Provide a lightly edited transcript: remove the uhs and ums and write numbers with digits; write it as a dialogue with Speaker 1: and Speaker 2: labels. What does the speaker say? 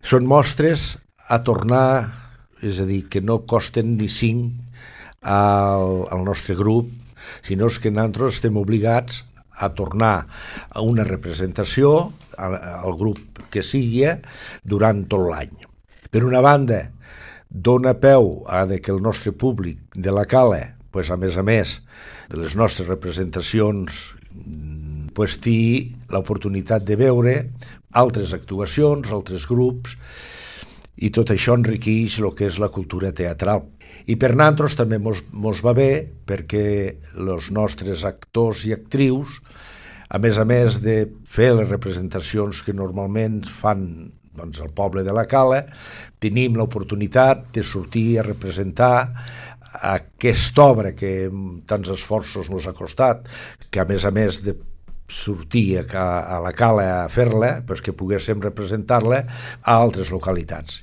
Speaker 1: Són mostres a tornar, és a dir, que no costen ni 5 al nostre grup, sinó que nosaltres estem obligats a tornar a una representació al grup que sigui durant tot l'any. Per una banda, dona peu a que el nostre públic de la Cala, a més de les nostres representacions, tingui l'oportunitat de veure altres actuacions, altres grups, i tot això enriqueix el que és la cultura teatral. I per nosaltres també mos va bé perquè els nostres actors i actrius, a més de fer les representacions que normalment fan al poble de la Cala, tenim l'oportunitat de sortir a representar aquesta obra que tants esforços ens ha costat, que a més de sortir a la Cala a fer-la, que poguéssim representar-la a altres localitats.